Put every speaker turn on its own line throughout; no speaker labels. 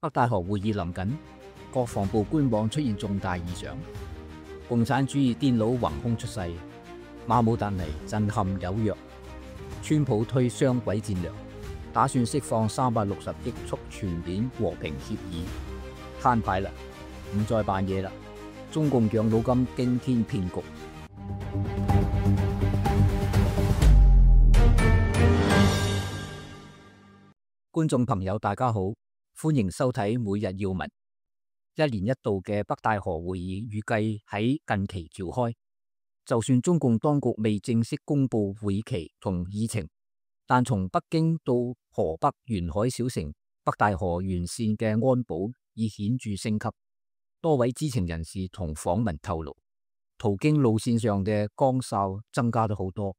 北戴河會議臨近，國防部官網出現重大異常，共產主義癲佬橫空出世，馬武達尼震撼有約，川普推雙軌戰略，打算釋放360億促全面和平協議，攤牌啦，唔再扮嘢啦，中共養老金驚天騙局。觀眾朋友大家好，歡迎收睇每日要聞。一年一度嘅北戴河會議預計喺近期召開，就算中共當局未正式公布會期同議程，但從北京到河北沿海小城北戴河沿線嘅安保已顯著升級。多位知情人士同訪民透露，途經路線上嘅崗哨增加咗好多，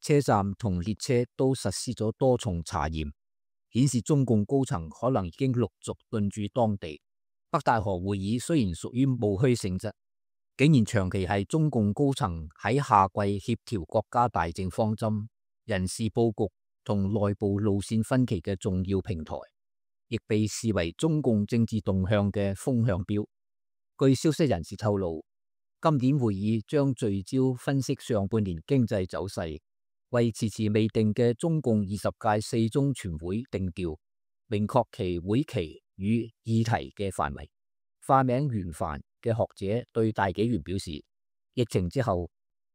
車站同列車都實施咗多重查驗，顯示中共高層可能已經陸續進駐當地。北戴河會議雖然屬於務虛性質，竟然長期係中共高層喺夏季協調國家大政方針、人事佈局同內部路線分歧嘅重要平台，亦被視為中共政治動向嘅風向標。據消息人士透露，今年會議將聚焦分析上半年經濟走勢，為遲遲未定嘅中共20屆4中全會定調，明確其會期與議題嘅範圍。化名袁帆嘅學者對大紀元表示，疫情之後，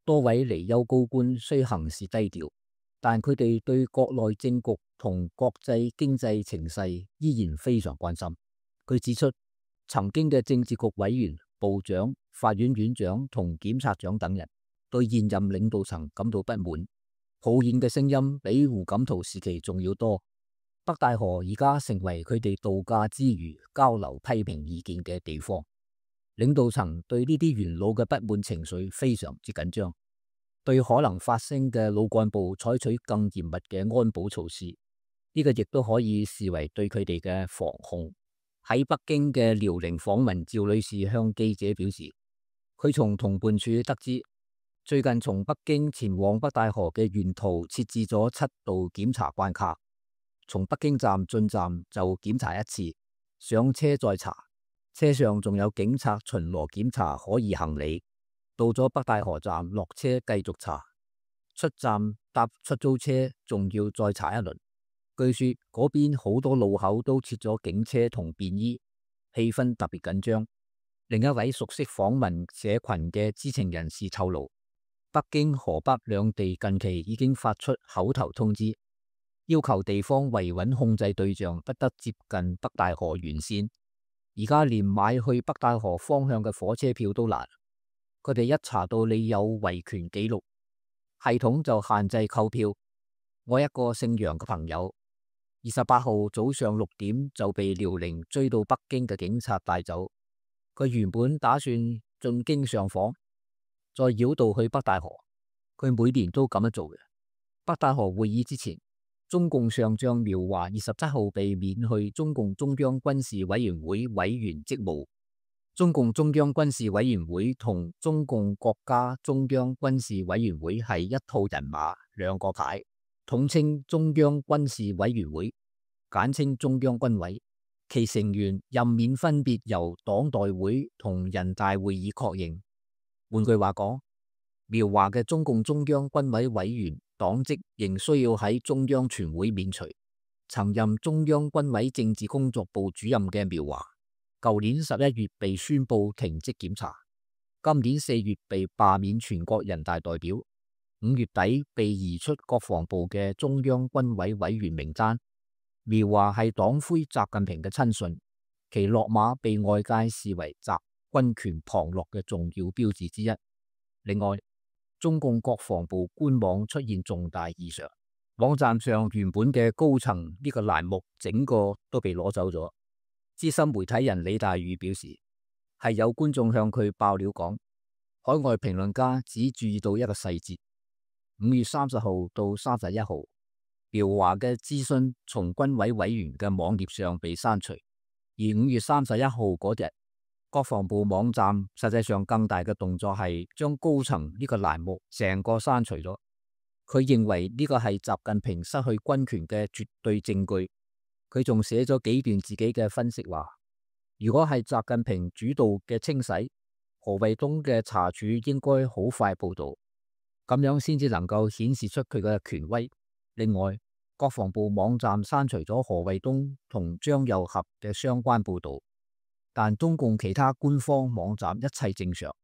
多位離休高官雖行事低調，但佢哋對國內政局同國際經濟情勢依然非常關心。佢指出，曾經嘅政治局委員、部長、法院院長同檢察長等人對現任領導層感到不滿，抱怨嘅聲音比胡錦濤時期仲要多。北戴河而家成為佢哋度假之餘交流批評意見嘅地方，領導層對呢啲元老嘅不滿情緒非常之緊張，對可能發生嘅老幹部採取更嚴密嘅安保措施，呢個亦都可以視為對佢哋嘅防控。喺北京嘅遼寧訪問趙女士向記者表示，佢從同伴處得知，最近從北京前往北戴河嘅沿途設置咗7道檢查關卡，從北京站進站就檢查1次，上車再查，車上仲有警察巡邏檢查可疑行李，到咗北戴河站落車繼續查，出站搭出租車仲要再查一輪。據說嗰邊好多路口都設咗警車同便衣，氣氛特別緊張。另一位熟悉訪問社群嘅知情人士透露，北京、河北兩地近期已經發出口頭通知，要求地方維穩控制對象不得接近北戴河沿線。而家連買去北戴河方向嘅火車票都難，佢哋一查到你有維權記錄，系統就限制購票。我一個姓楊嘅朋友，28號早上6點就被遼寧追到北京嘅警察帶走。佢原本打算進京上訪，再繞道去北戴河。佢每年都咁樣做嘅。北戴河會議之前，中共上將苗華27號被免去中共中央軍事委員會委員職務。中共中央軍事委員會同中共國家中央軍事委員會係一套人馬，兩個牌，統稱中央軍事委員會，簡稱中央軍委。其成員任免分別由黨代會同人大會議確認。換句話講，苗華嘅中共中央軍委委員黨職仍需要喺中央全會免除。曾任中央軍委政治工作部主任嘅苗華，舊年11月被宣布停職檢查，今年4月被罷免全國人大代表，5月底被移出國防部嘅中央軍委委員名單。苗華係黨魁習近平嘅親信，其落馬被外界視為習軍權旁落嘅重要標誌之一。另外，中共國防部官網出現重大異常，網站上原本嘅高層呢個欄目整個都被攞走咗。資深媒體人李大宇表示，係有觀眾向佢爆料講，海外評論家只注意到一個細節：5月30號到31號。苗華嘅諮詢從軍委委員嘅網頁上被刪除，而5月31號嗰日，國防部網站實際上更大嘅動作係將高層呢個欄目成個刪除咗。佢認為呢個係習近平失去軍權嘅絕對證據。佢仲寫咗幾段自己嘅分析話，如果係習近平主導嘅清洗，何衛東嘅查處應該好快報道，咁樣先至能夠顯示出佢嘅權威。另外，國防部網站刪除咗何衛東同張又俠嘅相關報道，但中共其他官方網站一切正常，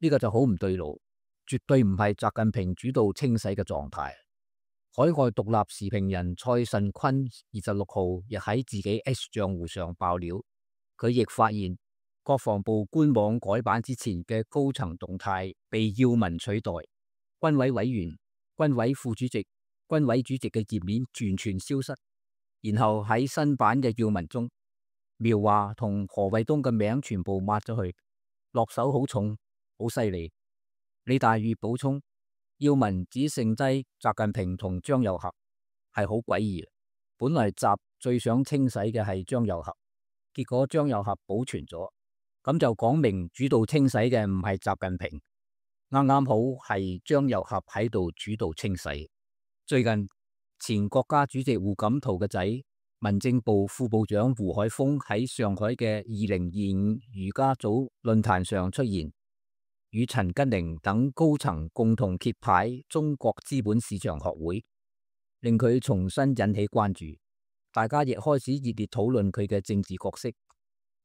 呢個就好唔對路，絕對唔係習近平主導清洗嘅狀態。海外獨立時評人蔡慎坤26號亦喺自己 X 賬戶上爆料，佢亦發現國防部官網改版之前嘅高層動態被要聞取代，軍委委員、軍委副主席、軍委主席嘅頁面完全消失，然後喺新版嘅要聞中，苗華同何衛東嘅名全部抹咗去，落手好重，好犀利。李大宇補充，要聞只剩低習近平同張又俠，係好詭異。本來習最想清洗嘅係張又俠，結果張又俠保存咗，咁就講明主導清洗嘅唔係習近平，啱啱好係張又俠喺度主導清洗。最近前國家主席胡錦濤嘅仔，民政部副部長胡海峰喺上海嘅2025儒家組論壇上出現，與陳吉寧等高層共同揭牌中國資本市場學會，令佢重新引起關注。大家亦開始熱烈討論佢嘅政治角色。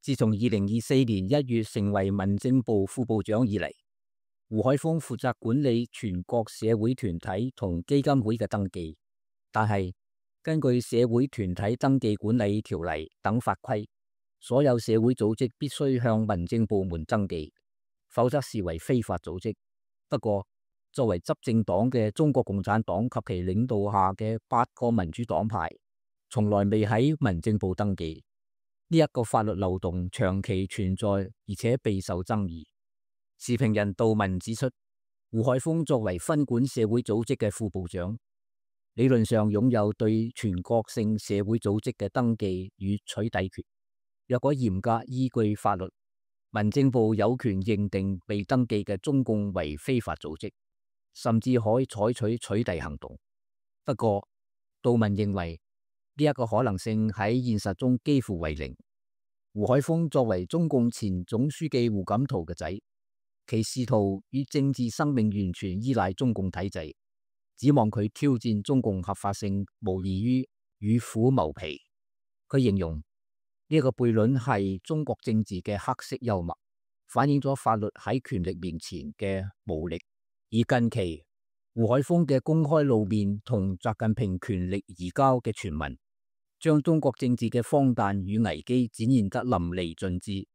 自從2024年1月成為民政部副部長以嚟，胡海峰負責管理全國社會團體同基金會嘅登記，但係根據社會團體登記管理條例等法規，所有社會組織必須向民政部門登記，否則視為非法組織。不過，作為執政黨嘅中國共產黨及其領導下嘅8個民主黨派，從來未喺民政部登記。呢一個法律漏洞長期存在，而且備受爭議。時評人杜文指出，胡海峰作為分管社會組織嘅副部長，理論上擁有對全國性社會組織嘅登記與取締權。若果嚴格依據法律，民政部有權認定未登記嘅中共為非法組織，甚至可以採取取締行動。不過，杜文認為呢一個可能性喺現實中幾乎為零。胡海峰作為中共前總書記胡錦濤嘅仔，其仕途與政治生命完全依賴中共體制，指望佢挑戰中共合法性，無異於與虎謀皮。佢形容呢一個悖論係中國政治嘅黑色幽默，反映咗法律喺權力面前嘅無力。而近期胡海峰嘅公開露面同習近平權力移交嘅傳聞，將中國政治嘅荒誕與危機展現得淋漓盡致。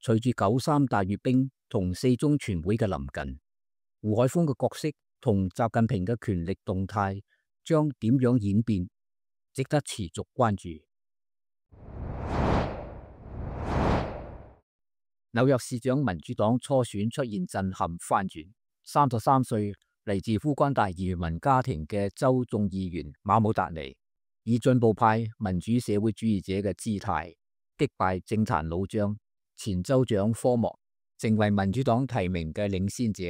隨住93大閱兵同4中全會嘅臨近，胡海峰嘅角色同習近平嘅權力動態將點樣演變，值得持續關注。紐約市長民主黨初選出現震撼翻轉，33歲嚟自烏干達移民家庭嘅州眾議員馬姆達尼，以進步派民主社會主義者嘅姿態擊敗政壇老將前州長科莫，成為民主黨提名嘅領先者，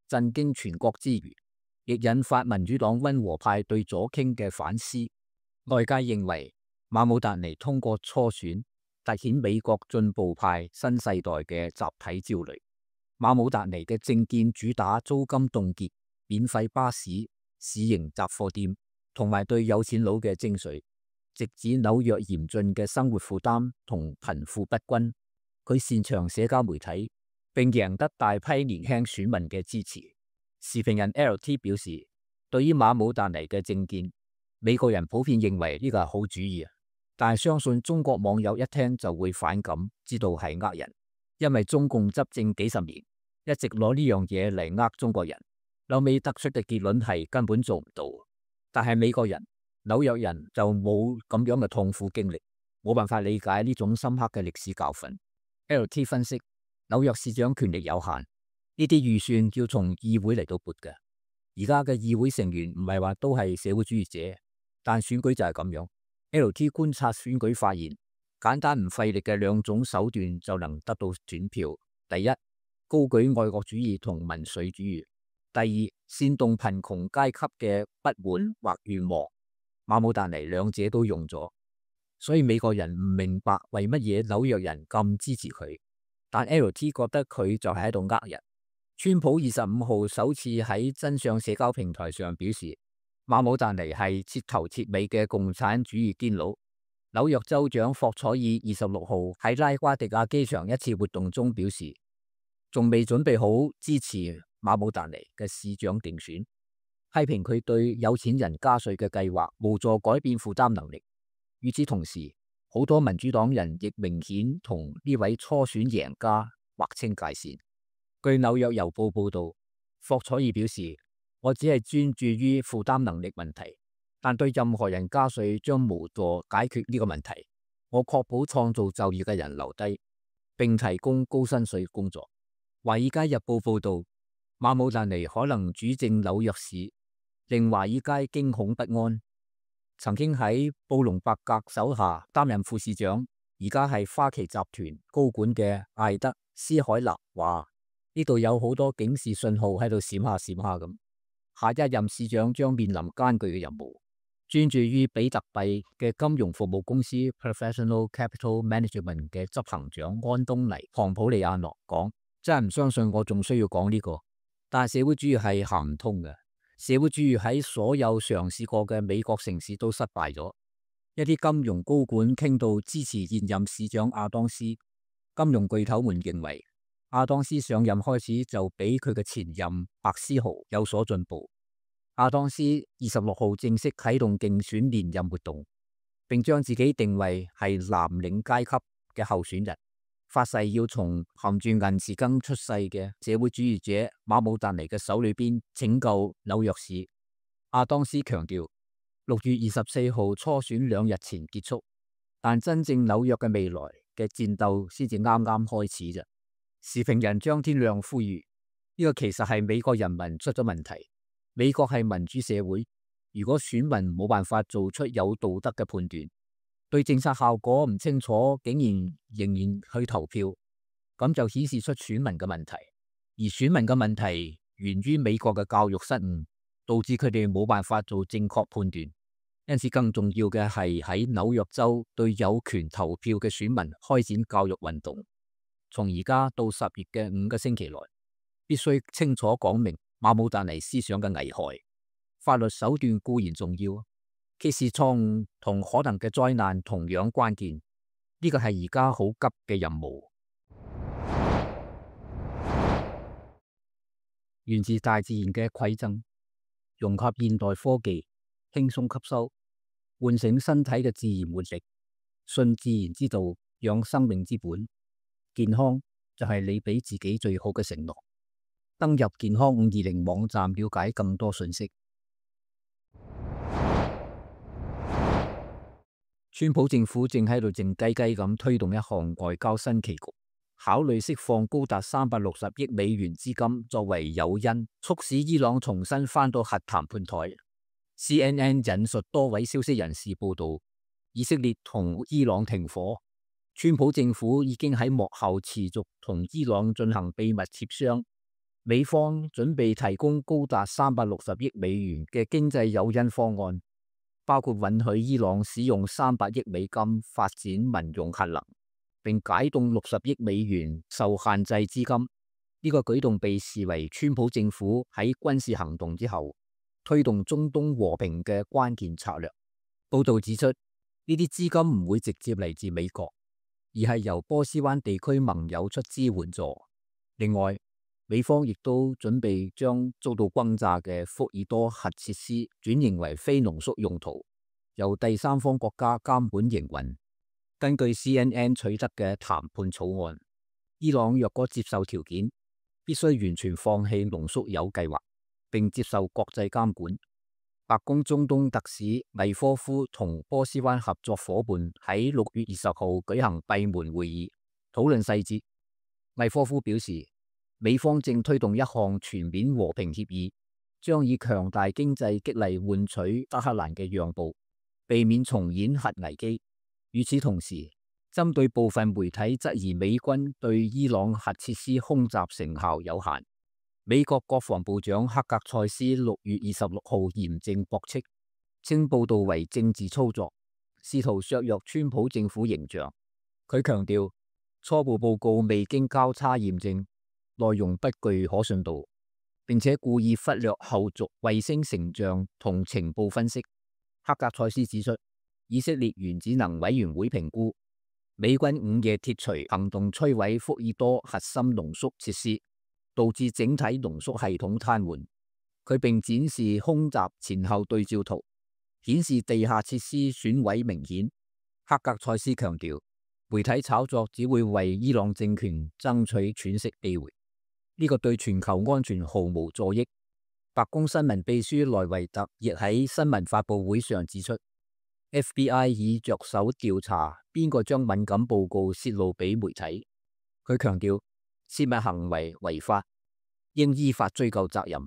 震驚全國之餘，亦引發民主黨溫和派對左傾嘅反思。外界認為馬姆達尼通過初選凸顯美國進步派新世代嘅集體焦慮。馬姆達尼嘅政見主打租金凍結、免費巴士、市營雜貨店，同埋對有錢佬嘅徵稅，直指紐約嚴峻嘅生活負擔同貧富不均。佢擅長社交媒體，並贏得大批年輕選民嘅支持。時評人 LT 表示，對於馬姆達尼嘅政見，美國人普遍認為呢個係好主意，但係相信中國網友一聽就會反感，知道係呃人，因為中共執政幾十年，一直攞呢樣嘢嚟呃中國人，後尾得出嘅結論係根本做唔到。但係美國人、紐約人就冇咁樣嘅痛苦經歷，冇辦法理解呢種深刻嘅歷史教訓。LT 分析，紐約市長權力有限，呢啲預算要從議會嚟到撥嘅。而家嘅議會成員唔係話都係社會主義者，但選舉就係咁樣。LT 觀察選舉發現，簡單唔費力嘅兩種手段就能得到選票。第一，高舉愛國主義同民粹主義；第二，煽動貧窮階級嘅不滿或願望。馬姆達尼兩者都用咗。所以美國人唔明白為乜嘢紐約人咁支持佢。但 LT 覺得佢就係喺度呃人。川普25號首次喺真相社交平台上表示，馬姆達尼係徹頭徹尾嘅共產主義堅佬。紐約州長霍楚爾26號喺拉瓜迪亞機場一次活動中表示，仲未準備好支持馬姆達尼嘅市長競選，批評佢對有錢人加稅嘅計劃無助改變負擔能力。與此同時，好多民主黨人亦明顯同呢位初選贏家劃清界線。據紐約郵報報道，霍楚爾表示，我只係專注於負擔能力問題，但對任何人加稅將無助解決呢個問題。我確保創造就業嘅人留低，並提供高薪水工作。華爾街日報報道，馬姆達尼可能主政紐約市，令華爾街驚恐不安。曾經喺布隆伯格手下擔任副市長，而家係花旗集團高管嘅艾德斯海納話：呢度有好多警示信號喺度閃下閃下咁。下一任市長將面臨艱巨嘅任務。專注於比特幣嘅金融服務公司 Professional Capital Management 嘅執行長安東尼·龐普利亞諾講：真係唔相信我仲需要講呢個，但係社會主義係行唔通嘅。社會主義喺所有嘗試過嘅美國城市都失敗咗。一啲金融高管傾到支持現任市長亞當斯。金融巨頭們認為，亞當斯上任開始就比佢嘅前任白思豪有所進步。亞當斯26號正式啟動競選連任活動，並將自己定位係藍領階級嘅候選人，發誓要從含住銀匙羹出世嘅社會主義者馬姆達尼嘅手裏邊拯救紐約市。亞當斯強調，6月24號初選2日前結束，但真正紐約嘅未來嘅戰鬥先至啱啱開始啫。時評人張天亮呼籲，呢個其實係美國人民出咗問題。美國係民主社會，如果選民冇辦法做出有道德嘅判斷，對政策效果唔清楚，竟然仍然去投票，咁就顯示出選民嘅問題。而選民嘅問題源於美國嘅教育失誤，導致佢哋冇辦法做正確判斷。因此更重要嘅係喺紐約州對有權投票嘅選民開展教育運動。從而家到10月嘅5個星期內，必須清楚講明馬姆達尼思想嘅危害。法律手段固然重要，揭示錯誤同可能嘅災難同樣關鍵。呢個係而家好急嘅任務。源自大自然嘅饋贈，融合現代科技，輕鬆吸收，喚醒身體嘅自然活力，信自然之道，養生命之本。健康就係你俾自己最好嘅承諾。登入健康520網站了解更多信息。川普政府正喺度靜雞雞咁推動一項外交新棋局，考慮釋放高達360億美元資金作為誘因，促使伊朗重新返到核談判台。CNN 引述多位消息人士報道，以色列同伊朗停火，川普政府已經喺幕後持續同伊朗進行秘密協商。美方準備提供高達360億美元嘅經濟誘因方案，包括允許伊朗使用300億美金發展民用核能，並解凍60億美元受限制資金。呢個舉動被視為川普政府喺軍事行動之後推動中東和平嘅關鍵策略。報道指出，呢啲資金唔會直接嚟自美國，而係由波斯灣地區盟友出資援助。另外，美方亦都準備將遭到轟炸嘅福爾多核設施轉型為非濃縮用途，由第三方國家監管營運。根據 CNN 取得嘅談判草案，伊朗若果接受條件，必須完全放棄濃縮鈾計劃，並接受國際監管。白宮中東特使魏科夫同波斯灣合作夥伴喺6月20號舉行閉門會議，討論細節。魏科夫表示，美方正推動一項全面和平協議，將以強大經濟激勵換取德黑蘭嘅讓步，避免重演核危機。與此同時，針對部分媒體質疑美軍對伊朗核設施空襲成效有限，美國國防部長克格塞斯6月26號嚴正駁斥，稱報道為政治操作，試圖削弱川普政府形象。佢強調，初步報告未經交叉驗證，內容不具可信度，並且故意忽略後續衛星成像同情報分析。黑格塞斯指出，以色列原子能委員會評估，美軍午夜鐵錘行動摧毀福爾多核心濃縮設施，導致整體濃縮系統癱瘓。佢並展示空襲前後對照圖，顯示地下設施損毀明顯。黑格塞斯強調，媒體炒作只會為伊朗政權爭取喘息機會，呢個對全球安全毫無助益。白宮新聞秘書萊維特亦喺新聞發佈會上指出， FBI 已着手調查邊個將敏感報告泄露俾媒體。佢強調，泄密行為違法，應依法追究責任。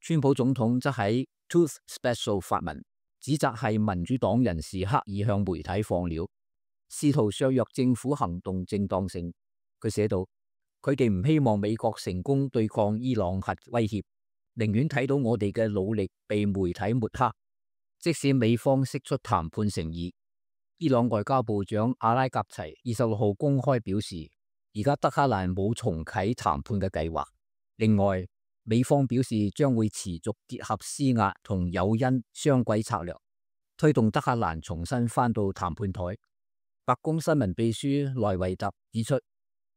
川普總統則喺 Truth Special 發文，指責係民主黨人士刻意向媒體放料，試圖削弱政府行動正當性。佢寫道，佢哋唔希望美國成功對抗伊朗核威脅，寧願睇到我哋嘅努力被媒體抹黑。即使美方釋出談判誠意，伊朗外交部長阿拉格齊26號公開表示，而家德黑蘭冇重啟談判嘅計劃。另外，美方表示將會持續結合施壓同誘因雙軌策略，推動德黑蘭重新返到談判台。白宮新聞秘書萊維特指出，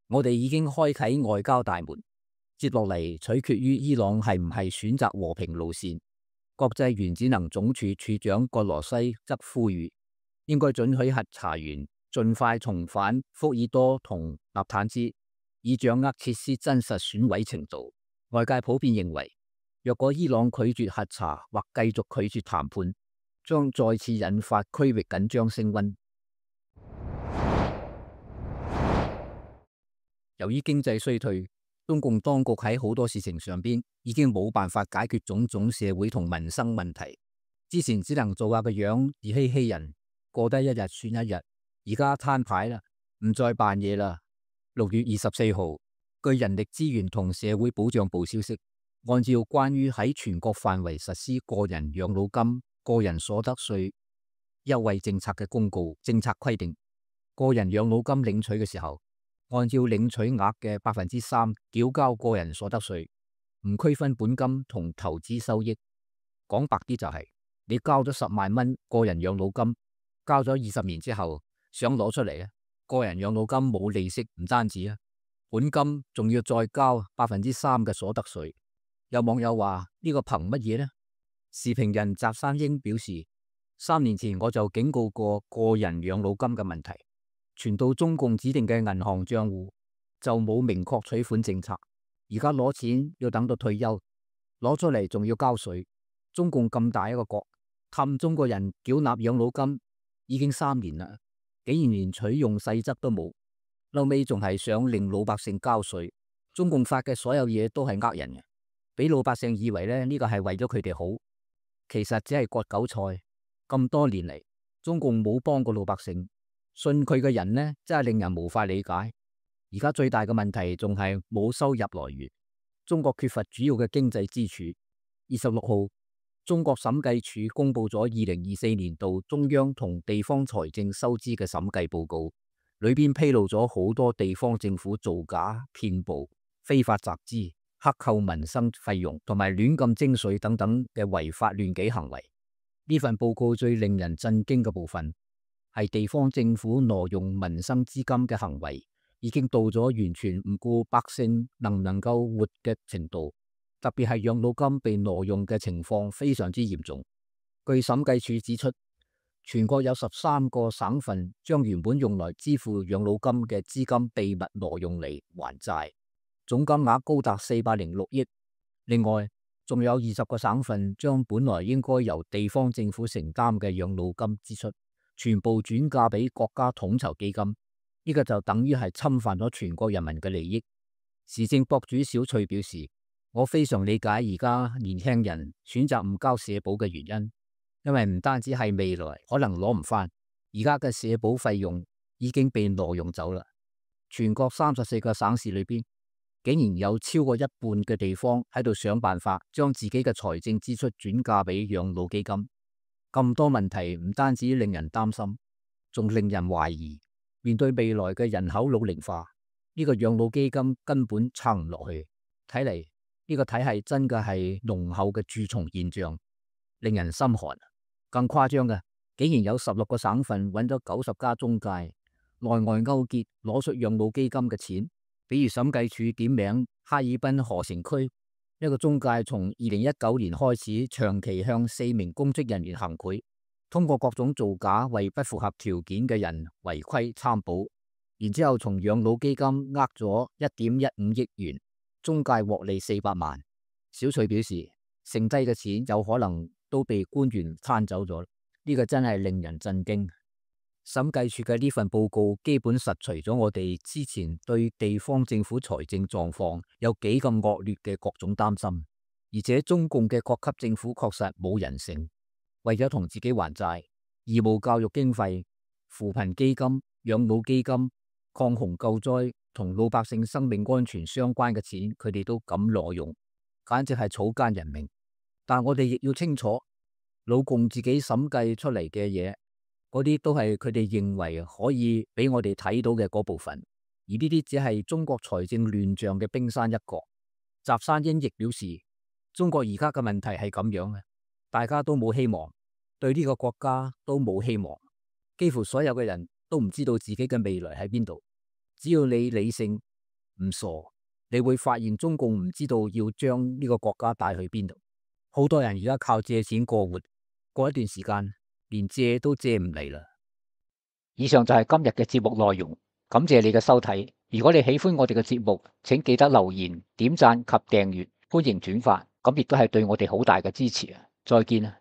我哋已經開啟外交大門，接落嚟取決於伊朗係唔係選擇和平路線。國際原子能總署署長葛羅西則呼籲，應該准許核查員盡快重返福爾多同納坦茲，以掌握設施真實損毀程度。外界普遍認為，若果伊朗拒絕核查或繼續拒絕談判，將再次引發區域緊張升溫。由於經濟衰退，中共當局喺好多事情上邊已經冇辦法解決種種社會同民生問題。之前只能做下個樣，自欺欺人，過得一日算一日。而家攤牌啦，唔再扮嘢啦。6月24號。據人力資源同社會保障部消息，按照關於喺全國範圍實施個人養老金、個人所得稅優惠政策嘅公告，政策規定，個人養老金領取嘅時候，按照領取額嘅3%繳交個人所得稅，唔區分本金同投資收益。講白啲就係，你交咗10萬蚊個人養老金，交咗20年之後想攞出嚟，個人養老金冇利息，唔單止本金仲要再交3%嘅所得稅。有網友話呢個憑乜嘢呢？時評人翟山英表示，3年前我就警告過個人養老金嘅問題，傳到中共指定嘅銀行賬戶就冇明確取款政策。而家攞錢要等到退休，攞出嚟仲要交稅。中共咁大一個國，氹中國人繳納養老金已經3年啦，竟然連取用細則都冇。後尾仲係想令老百姓交稅，中共發嘅所有嘢都係呃人嘅，俾老百姓以為呢個係為咗佢哋好，其實只係割韭菜。咁多年嚟，中共冇幫過老百姓，信佢嘅人呢真係令人無法理解。而家最大嘅問題仲係冇收入來源，中國缺乏主要嘅經濟支柱。26號，中國審計署公布咗2024年度中央同地方財政收支嘅審計報告。裏邊披露咗好多地方政府造假、騙捕、非法集資、克扣民生費用同埋亂咁徵稅等等嘅違法亂紀行為。呢份報告最令人震驚嘅部分係地方政府挪用民生資金嘅行為已經到咗完全唔顧百姓能唔能夠活嘅程度，特別係養老金被挪用嘅情況非常之嚴重。據審計署指出，全國有13個省份將原本用來支付養老金嘅資金秘密挪用嚟還債，總金額高達406億。另外，仲有20個省份將本來應該由地方政府承擔嘅養老金支出，全部轉嫁俾國家統籌基金。呢個就等於係侵犯咗全國人民嘅利益。時政博主小翠表示，我非常理解而家年輕人選擇唔交社保嘅原因。因為唔單止係未來可能攞唔返，而家嘅社保費用已經被挪用走啦。全國34個省市裏邊，竟然有超過一半嘅地方喺度想辦法將自己嘅財政支出轉嫁俾養老基金。咁多問題唔單止令人擔心，仲令人懷疑，面對未來嘅人口老齡化，呢個養老基金根本撐唔落去。睇嚟呢個體系真嘅係濃厚嘅蛀蟲現象，令人心寒。更誇張嘅，竟然有16個省份揾咗90家中介，內外勾結攞出養老基金嘅錢。比如審計署點名哈爾濱河城區一個中介，從2019年開始長期向4名公職人員行賄，通過各種造假為不符合條件嘅人違規參保，然之後從養老基金呃咗1.15億元，中介獲利400萬。小翠表示，剩低嘅錢有可能都被官員攤走咗，呢個真係令人震驚。審計署嘅呢份報告基本實除咗我哋之前對地方政府財政狀況有幾咁惡劣嘅各種擔心，而且中共嘅各級政府確實冇人性，為咗同自己還債，義務教育經費、扶貧基金、養老基金、抗洪救災同老百姓生命安全相關嘅錢，佢哋都敢挪用，簡直係草菅人命。但我哋亦要清楚，老共自己審計出嚟嘅嘢，嗰啲都係佢哋認為可以俾我哋睇到嘅嗰部分，而呢啲只係中國財政亂象嘅冰山一角。習山英亦表示，中國而家嘅問題係咁樣嘅，大家都冇希望，對呢個國家都冇希望，幾乎所有嘅人都唔知道自己嘅未來喺邊度。只要你理性唔傻，你會發現中共唔知道要將呢個國家帶去邊度。好多人而家靠借錢過活，過一段時間連借都借唔嚟啦。以上就係今日嘅節目內容，感謝你嘅收睇。如果你喜歡我哋嘅節目，請記得留言、點讚及訂閱，歡迎轉發，咁亦都係對我哋好大嘅支持啊！再見啊！